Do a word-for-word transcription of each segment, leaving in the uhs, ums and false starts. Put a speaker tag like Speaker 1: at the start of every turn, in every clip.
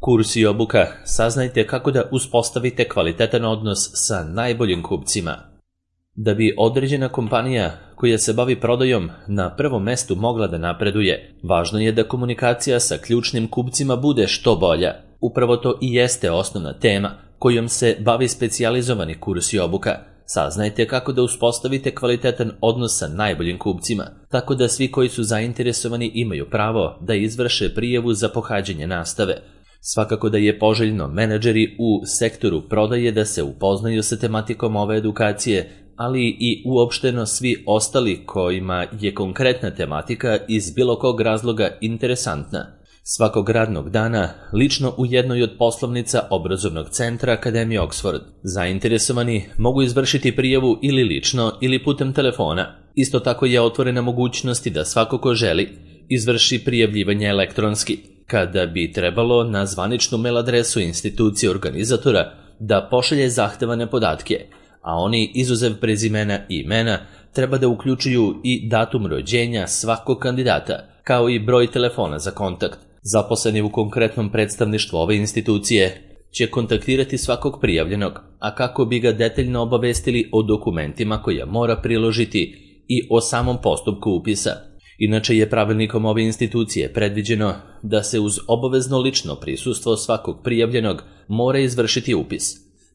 Speaker 1: Kurs i obuka, saznajte kako da uspostavite kvalitetan odnos sa najboljim kupcima. Da bi određena kompanija koja se bavi prodajom na prvom mestu mogla da napreduje, važno je da komunikacija sa ključnim kupcima bude što bolja. Upravo to i jeste osnovna tema kojom se bavi specijalizovani kurs i obuka. Saznajte kako da uspostavite kvalitetan odnos sa najboljim kupcima, tako da svi koji su zainteresovani imaju pravo da izvrše prijavu za pohađanje nastave. Svakako da je poželjno menadžeri u sektoru prodaje da se upoznaju sa tematikom ove edukacije, ali i uopšteno svi ostali kojima je konkretna tematika iz bilo kog razloga interesantna. Svakog radnog dana, lično u jednoj od poslovnica obrazovnog centra Akademije Oxford. Zainteresovani mogu izvršiti prijavu ili lično ili putem telefona. Isto tako je otvorena mogućnost da svako ko želi izvrši prijavljivanje elektronski, kada bi trebalo na zvaničnu mail adresu institucije organizatora da pošalje zahtevane podatke, a oni izuzev prezimena i imena treba da uključuju i datum rođenja svakog kandidata, kao i broj telefona za kontakt. Zaposleni u konkretnom predstavništvu ove institucije će kontaktirati svakog prijavljenog, a kako bi ga detaljno obavestili o dokumentima koje mora priložiti i o samom postupku upisa. Inače je pravilnikom ove institucije predviđeno da se uz obavezno lično prisustvo svakog prijavljenog mora izvršiti upis,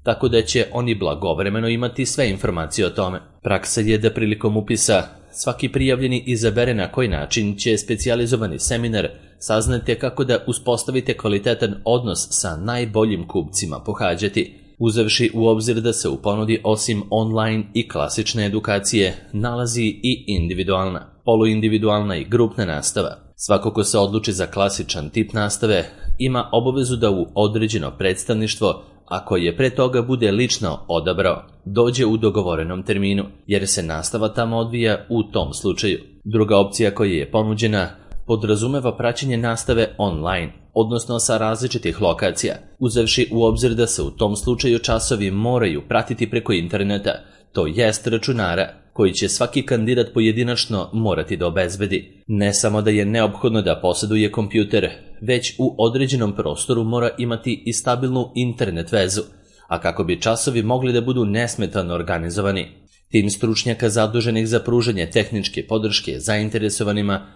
Speaker 1: tako da će oni blagovremeno imati sve informacije o tome. Praksa je da prilikom upisa svaki prijavljeni izabere na koji način će specijalizovani seminar saznate kako da uspostavite kvalitetan odnos sa najboljim kupcima pohađati, uzevši u obzir da se u ponudi osim online i klasične edukacije nalazi i individualna, poluindividualna i grupna nastava. Svako ko se odluči za klasičan tip nastave ima obavezu da u određeno predstavništvo, ako je pre toga bude lično odabrao, dođe u dogovorenom terminu, jer se nastava tamo odvija u tom slučaju. Druga opcija koja je ponuđena podrazumeva praćenje nastave online, odnosno sa različitih lokacija, uzevši u obzir da se u tom slučaju časovi moraju pratiti preko interneta, to jest računara, koji će svaki kandidat pojedinačno morati da obezbedi. Ne samo da je neophodno da posjeduje kompjuter, već u određenom prostoru mora imati i stabilnu internet vezu, a kako bi časovi mogli da budu nesmetano organizovani. Tim stručnjaka zaduženih za pružanje tehničke podrške zainteresovanima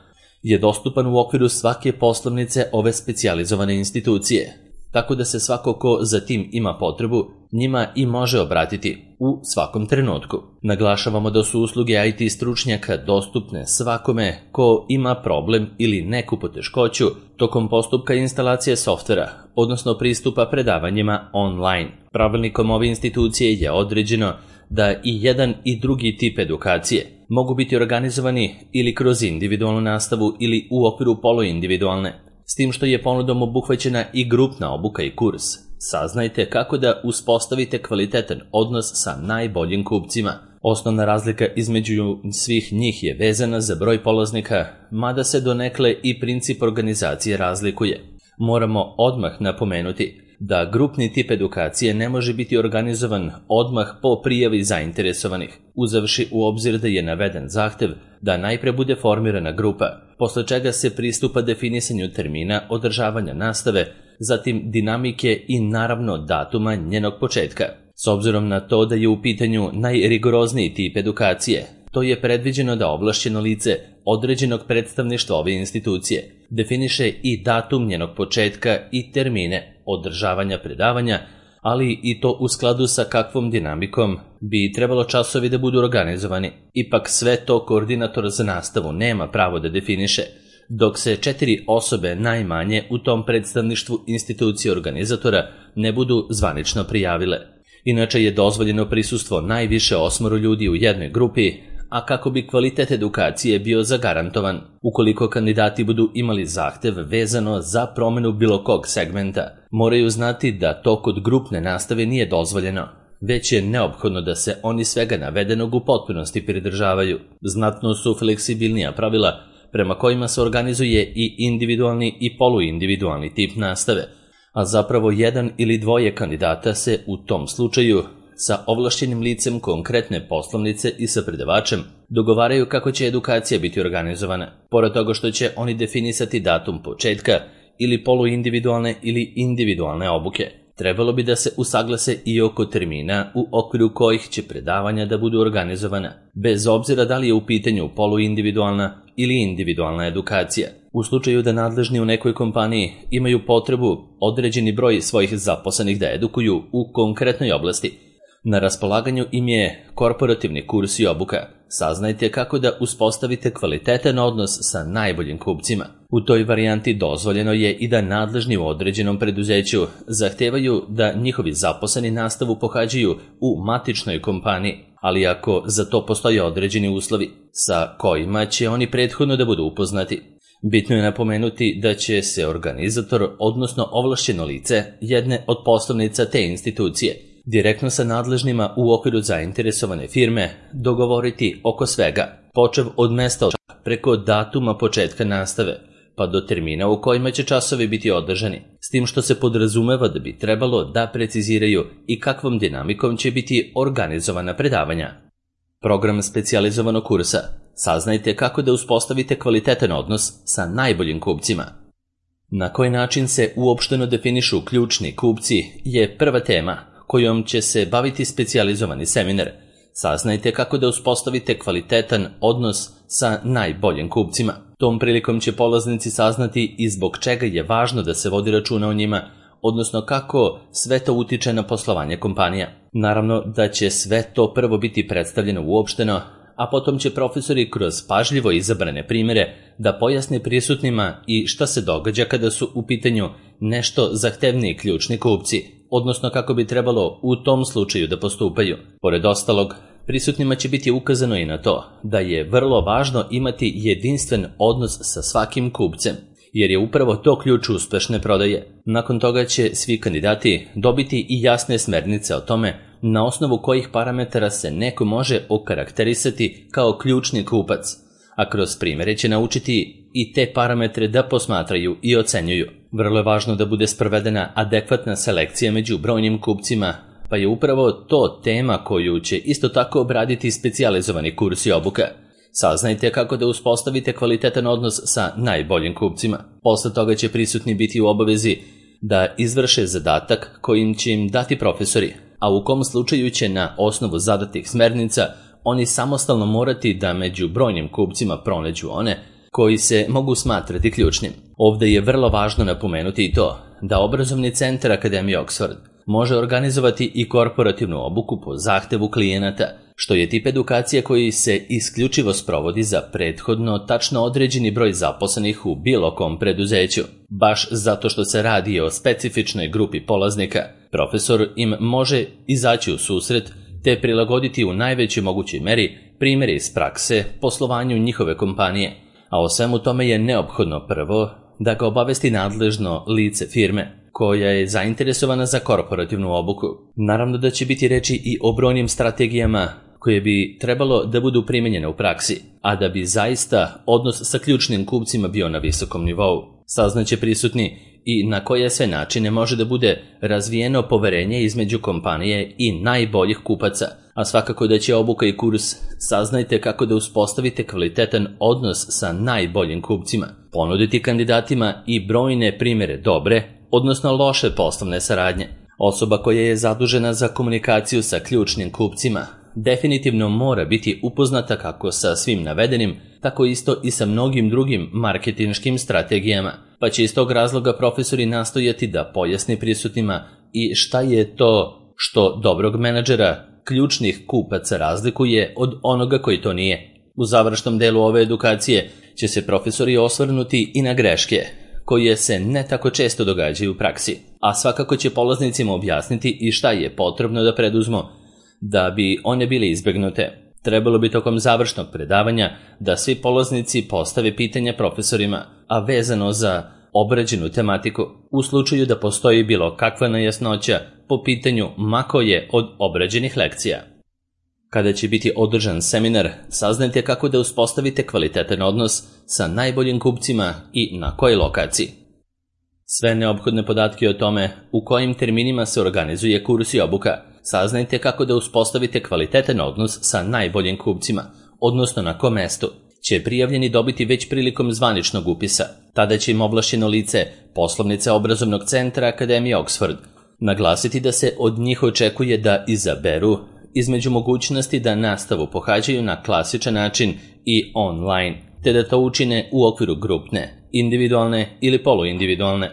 Speaker 1: je dostupan u okviru svake poslovnice ove specijalizovane institucije, tako da se svako ko za tim ima potrebu njima i može obratiti u svakom trenutku. Naglašavamo da su usluge I T stručnjaka dostupne svakome ko ima problem ili neku poteškoću tokom postupka instalacije softvera, odnosno pristupa predavanjima online. Pravilnikom ove institucije je određeno da i jedan i drugi tip edukacije mogu biti organizovani ili kroz individualnu nastavu ili u okviru poluindividualne, s tim što je ponudom obuhvaćena i grupna obuka i kurs. Saznajte kako da uspostavite kvalitetan odnos sa najboljim kupcima. Osnovna razlika između svih njih je vezana za broj polaznika, mada se donekle i princip organizacije razlikuje. Moramo odmah napomenuti da grupni tip edukacije ne može biti organizovan odmah po prijavi zainteresovanih, uzevši u obzir da je naveden zahtev da najpre bude formirana grupa, posle čega se pristupa definisanju termina održavanja nastave, zatim dinamike i naravno datuma njenog početka. S obzirom na to da je u pitanju najrigorozniji tip edukacije, to je predviđeno da ovlašćeno lice određenog predstavništva ove institucije definiše i datum njenog početka i termine održavanja predavanja, ali i to u skladu sa kakvom dinamikom bi trebalo časovi da budu organizovani. Ipak sve to koordinator za nastavu nema pravo da definiše, dok se četiri osobe najmanje u tom predstavništvu institucije organizatora ne budu zvanično prijavile. Inače je dozvoljeno prisustvo najviše osmoro ljudi u jednoj grupi, a kako bi kvalitet edukacije bio zagarantovan, ukoliko kandidati budu imali zahtev vezano za promenu bilo kog segmenta, moraju znati da to kod grupne nastave nije dozvoljeno, već je neophodno da se oni svega navedenog u potpunosti pridržavaju. Znatno su fleksibilnija pravila prema kojima se organizuje i individualni i poluindividualni tip nastave, a zapravo jedan ili dvoje kandidata se u tom slučaju sa ovlašćenim licem konkretne poslovnice i sa predavačem dogovaraju kako će edukacija biti organizovana. Pored toga što će oni definisati datum početka ili poluindividualne ili individualne obuke. Trebalo bi da se usaglase i oko termina u okviru kojih će predavanja da budu organizovana, bez obzira da li je u pitanju poluindividualna ili individualna edukacija. U slučaju da nadležni u nekoj kompaniji imaju potrebu određeni broj svojih zaposlenih da edukuju u konkretnoj oblasti, na raspolaganju im je korporativni kurs i obuka. Saznajte kako da uspostavite kvalitetan odnos sa najboljim kupcima. U toj varijanti dozvoljeno je i da nadležni u određenom preduzeću zahtevaju da njihovi zaposleni nastavu pohađaju u matičnoj kompaniji, ali ako za to postoje određeni uslovi, sa kojima će oni prethodno da budu upoznati. Bitno je napomenuti da će se organizator, odnosno ovlašćeno lice jedne od poslovnica te institucije, direktno sa nadležnima u okviru zainteresovane firme dogovoriti oko svega, počev od mesta preko datuma početka nastave, pa do termina u kojima će časovi biti održani, s tim što se podrazumeva da bi trebalo da preciziraju i kakvom dinamikom će biti organizovana predavanja. Program specijalizovanog kursa. Saznajte kako da uspostavite kvalitetan odnos sa najboljim kupcima. Na koji način se uopšteno definišu ključni kupci je prva tema kojom će se baviti specijalizovani seminar. Saznajte kako da uspostavite kvalitetan odnos sa najboljim kupcima. Tom prilikom će polaznici saznati i zbog čega je važno da se vodi računa o njima, odnosno kako sve to utiče na poslovanje kompanija. Naravno da će sve to prvo biti predstavljeno uopšteno, a potom će profesori kroz pažljivo izabrane primjere da pojasne prisutnima i šta se događa kada su u pitanju nešto zahtevniji ključni kupci, odnosno kako bi trebalo u tom slučaju da postupaju. Pored ostalog, prisutnima će biti ukazano i na to da je vrlo važno imati jedinstven odnos sa svakim kupcem, jer je upravo to ključ uspešne prodaje. Nakon toga će svi kandidati dobiti i jasne smernice o tome na osnovu kojih parametara se neko može okarakterisati kao ključni kupac, a kroz primjere će naučiti i te parametre da posmatraju i ocenjuju. Vrlo je važno da bude sprovedena adekvatna selekcija među brojnim kupcima, pa je upravo to tema koju će isto tako obraditi specijalizovani kurs i obuka. Saznajte kako da uspostavite kvalitetan odnos sa najboljim kupcima. Posle toga će prisutni biti u obavezi da izvrše zadatak kojim će im dati profesori, a u kom slučaju će na osnovu zadatih smernica oni samostalno morati da među brojnim kupcima pronađu one koji se mogu smatrati ključnim. Ovde je vrlo važno napomenuti i to da obrazovni centar Akademije Oxford može organizovati i korporativnu obuku po zahtevu klijenata, što je tip edukacije koji se isključivo sprovodi za prethodno tačno određeni broj zaposlenih u bilo kom preduzeću. Baš zato što se radi o specifičnoj grupi polaznika, profesor im može izaći u susret te prilagoditi u najvećoj mogućoj meri primjere iz prakse poslovanju njihove kompanije, a o svemu tome je neophodno prvo da ga obavesti nadležno lice firme koja je zainteresovana za korporativnu obuku. Naravno da će biti reči i o brojnim strategijama koje bi trebalo da budu primenjene u praksi, a da bi zaista odnos sa ključnim kupcima bio na visokom nivou. Saznaće prisutni i na koje sve načine može da bude razvijeno poverenje između kompanije i najboljih kupaca, a svakako da će obuka i kurs Saznajte kako da uspostavite kvalitetan odnos sa najboljim kupcima, ponuditi kandidatima i brojne primjere dobre, odnosno loše poslovne saradnje. Osoba koja je zadužena za komunikaciju sa ključnim kupcima definitivno mora biti upoznata kako sa svim navedenim, tako isto i sa mnogim drugim marketinškim strategijama, pa će iz tog razloga profesori nastojati da pojasni prisutnima i šta je to što dobrog menadžera ključnih kupaca razlikuje od onoga koji to nije. U završnom delu ove edukacije će se profesori osvrnuti i na greške koje se ne tako često događaju u praksi, a svakako će polaznicima objasniti i šta je potrebno da preduzmu da bi one bile izbegnute. Trebalo bi tokom završnog predavanja da svi polaznici postave pitanja profesorima, a vezano za obrađenu tematiku, u slučaju da postoji bilo kakva nejasnoća po pitanju ma koje od obrađenih lekcija. Kada će biti održan seminar, saznajte kako da uspostavite kvalitetan odnos sa najboljim kupcima i na kojoj lokaciji. Sve neophodne podatke o tome u kojim terminima se organizuje kurs i obuka, saznajte kako da uspostavite kvalitetan odnos sa najboljim kupcima, odnosno na kom mestu će prijavljeni dobiti već prilikom zvaničnog upisa. Tada će im ovlašćeno lice poslovnice obrazovnog centra Akademije Oxford naglasiti da se od njih očekuje da izaberu između mogućnosti da nastavu pohađaju na klasičan način i online, te da to učine u okviru grupne, individualne ili poluindividualne,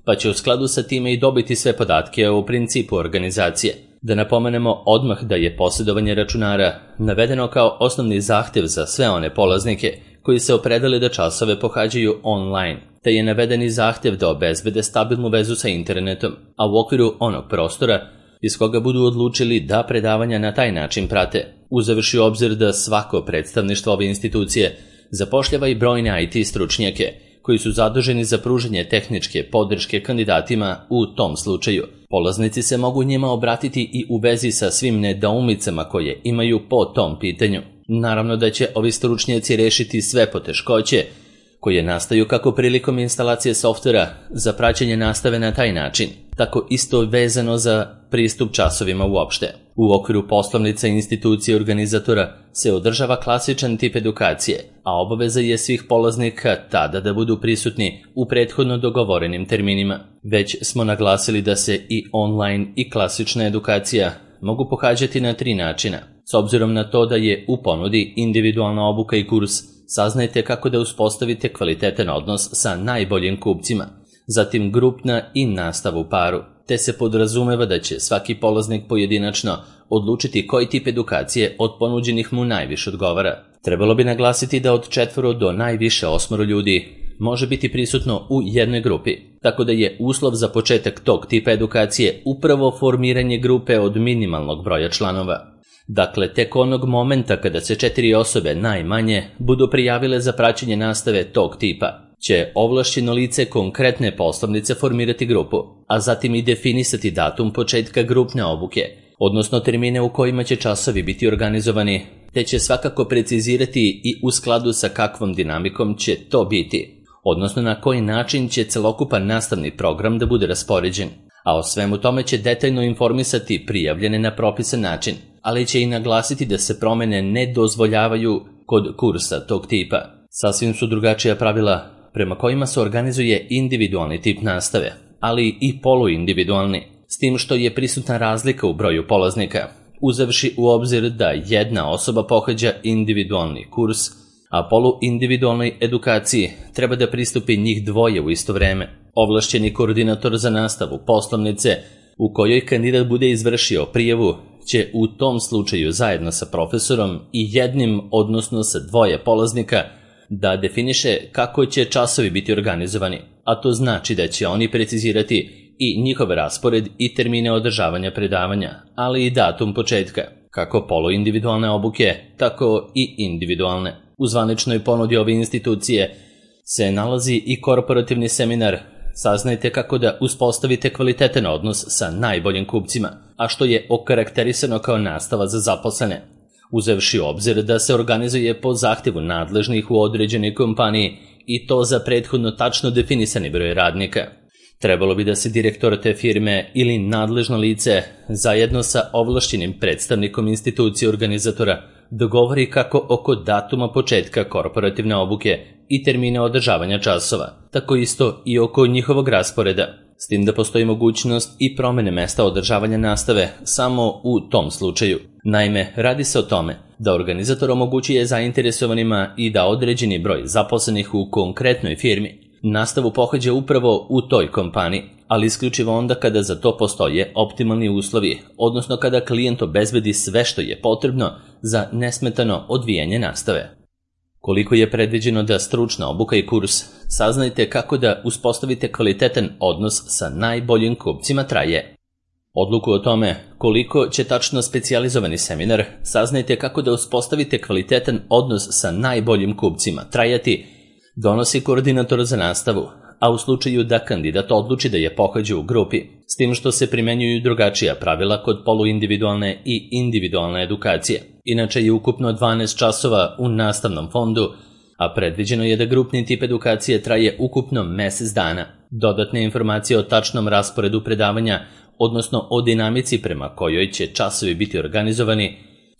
Speaker 1: pa će u skladu sa time i dobiti sve podatke o principu organizacije. Da napomenemo odmah da je posjedovanje računara navedeno kao osnovni zahtev za sve one polaznike koji se opredele da časove pohađaju online, te je navedeni zahtev da obezbede stabilnu vezu sa internetom, a u okviru onog prostora iz koga budu odlučili da predavanja na taj način prate, uzevši u obzir da svako predstavništvo ove institucije zapošljava i brojne I T stručnjake koji su zaduženi za pružanje tehničke podrške kandidatima u tom slučaju. Polaznici se mogu njima obratiti i u vezi sa svim nedoumicama koje imaju po tom pitanju. Naravno da će ovi stručnjaci rešiti sve poteškoće koje nastaju kako prilikom instalacije softvera za praćenje nastave na taj način, tako isto vezano za pristup časovima uopšte. U okviru poslovnica institucije organizatora se održava klasičan tip edukacije, a obaveza je svih polaznika tada da budu prisutni u prethodno dogovorenim terminima. Već smo naglasili da se i online i klasična edukacija mogu pohađati na tri načina. S obzirom na to da je u ponudi individualna obuka i kurs, saznajte kako da uspostavite kvalitetan odnos sa najboljim kupcima, zatim grupna i nastava u paru, te se podrazumeva da će svaki polaznik pojedinačno odlučiti koji tip edukacije od ponuđenih mu najviše odgovara. Trebalo bi naglasiti da od četvoro do najviše osmoro ljudi može biti prisutno u jednoj grupi, tako da je uslov za početak tog tipa edukacije upravo formiranje grupe od minimalnog broja članova. Dakle, tek onog momenta kada se četiri osobe najmanje budu prijavile za praćenje nastave tog tipa, će ovlašćeno lice konkretne poslovnice formirati grupu, a zatim i definisati datum početka grupne obuke, odnosno termine u kojima će časovi biti organizovani, te će svakako precizirati i u skladu sa kakvom dinamikom će to biti, odnosno na koji način će celokupan nastavni program da bude raspoređen, a o svemu tome će detaljno informisati prijavljene na propisan način, ali će i naglasiti da se promene ne dozvoljavaju kod kursa tog tipa. Sasvim su drugačija pravila prema kojima se organizuje individualni tip nastave, ali i poluindividualni, s tim što je prisutna razlika u broju polaznika, uzevši u obzir da jedna osoba pohađa individualni kurs, a poluindividualnoj edukaciji treba da pristupi njih dvoje u isto vreme. Ovlašćeni koordinator za nastavu poslovnice u kojoj kandidat bude izvršio prijavu će u tom slučaju zajedno sa profesorom i jednim, odnosno sa dvoje polaznika, da definiše kako će časovi biti organizovani, a to znači da će oni precizirati i njihov raspored i termine održavanja predavanja, ali i datum početka, kako poluindividualne obuke, tako i individualne. U zvaničnoj ponudi ove institucije se nalazi i korporativni seminar Saznajte kako da uspostavite kvalitetan odnos sa najboljim kupcima, a što je okarakterisano kao nastava za zaposlene, uzevši u obzir da se organizuje po zahtevu nadležnih u određenoj kompaniji i to za prethodno tačno definisani broj radnika. Trebalo bi da se direktor te firme ili nadležno lice zajedno sa ovlašćenim predstavnikom institucije organizatora dogovori kako oko datuma početka korporativne obuke i termina održavanja časova, tako isto i oko njihovog rasporeda, s tim da postoji mogućnost i promene mesta održavanja nastave samo u tom slučaju. Naime, radi se o tome da organizator omogućuje zainteresovanima i da određeni broj zaposlenih u konkretnoj firmi nastavu pohađa upravo u toj kompaniji, ali isključivo onda kada za to postoje optimalni uslovi, odnosno kada klijent obezbedi sve što je potrebno za nesmetano odvijanje nastave. Koliko je predviđeno da stručna obuka i kurs, saznajte kako da uspostavite kvalitetan odnos sa najboljim kupcima traje. Odluku o tome koliko će tačno specijalizovani seminar, saznajte kako da uspostavite kvalitetan odnos sa najboljim kupcima trajati, donosi koordinator za nastavu, a u slučaju da kandidat odluči da je pohađa u grupi, s tim što se primenjuju drugačija pravila kod poluindividualne i individualne edukacije. Inače je ukupno dvanaest časova u nastavnom fondu, a predviđeno je da grupni tip edukacije traje ukupno mesec dana. Dodatne informacije o tačnom rasporedu predavanja, odnosno o dinamici prema kojoj će časovi biti organizovani,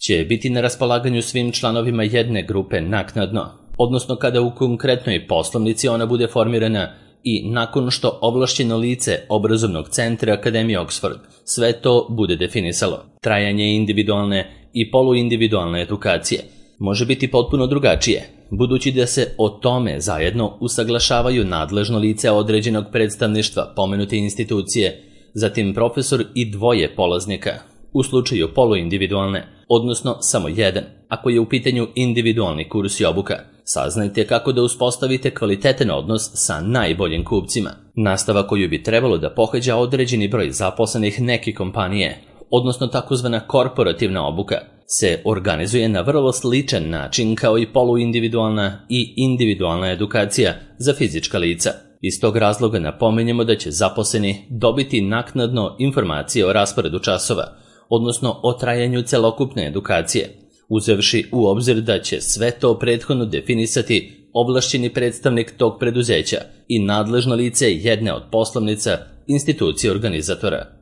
Speaker 1: će biti na raspolaganju svim članovima jedne grupe naknadno, odnosno kada u konkretnoj poslovnici ona bude formirana i nakon što ovlašćeno lice obrazovnog centra Akademije Oxford sve to bude definisalo. Trajanje individualne i poluindividualne edukacije može biti potpuno drugačije, budući da se o tome zajedno usaglašavaju nadležno lice određenog predstavništva pomenute institucije, zatim profesor i dvoje polaznika, u slučaju poluindividualne, odnosno samo jedan, ako je u pitanju individualni kurs i obuka. Saznajte kako da uspostavite kvalitetan odnos sa najboljim kupcima. Nastava koju bi trebalo da pohađa određeni broj zaposlenih neke kompanije, odnosno takozvana korporativna obuka, se organizuje na vrlo sličan način kao i poluindividualna i individualna edukacija za fizička lica. Iz tog razloga napominjemo da će zaposleni dobiti naknadno informacije o rasporedu časova, odnosno o trajanju celokupne edukacije, uzevši u obzir da će sve to prethodno definisati ovlašćeni predstavnik tog preduzeća i nadležno lice jedne od poslovnica institucije organizatora.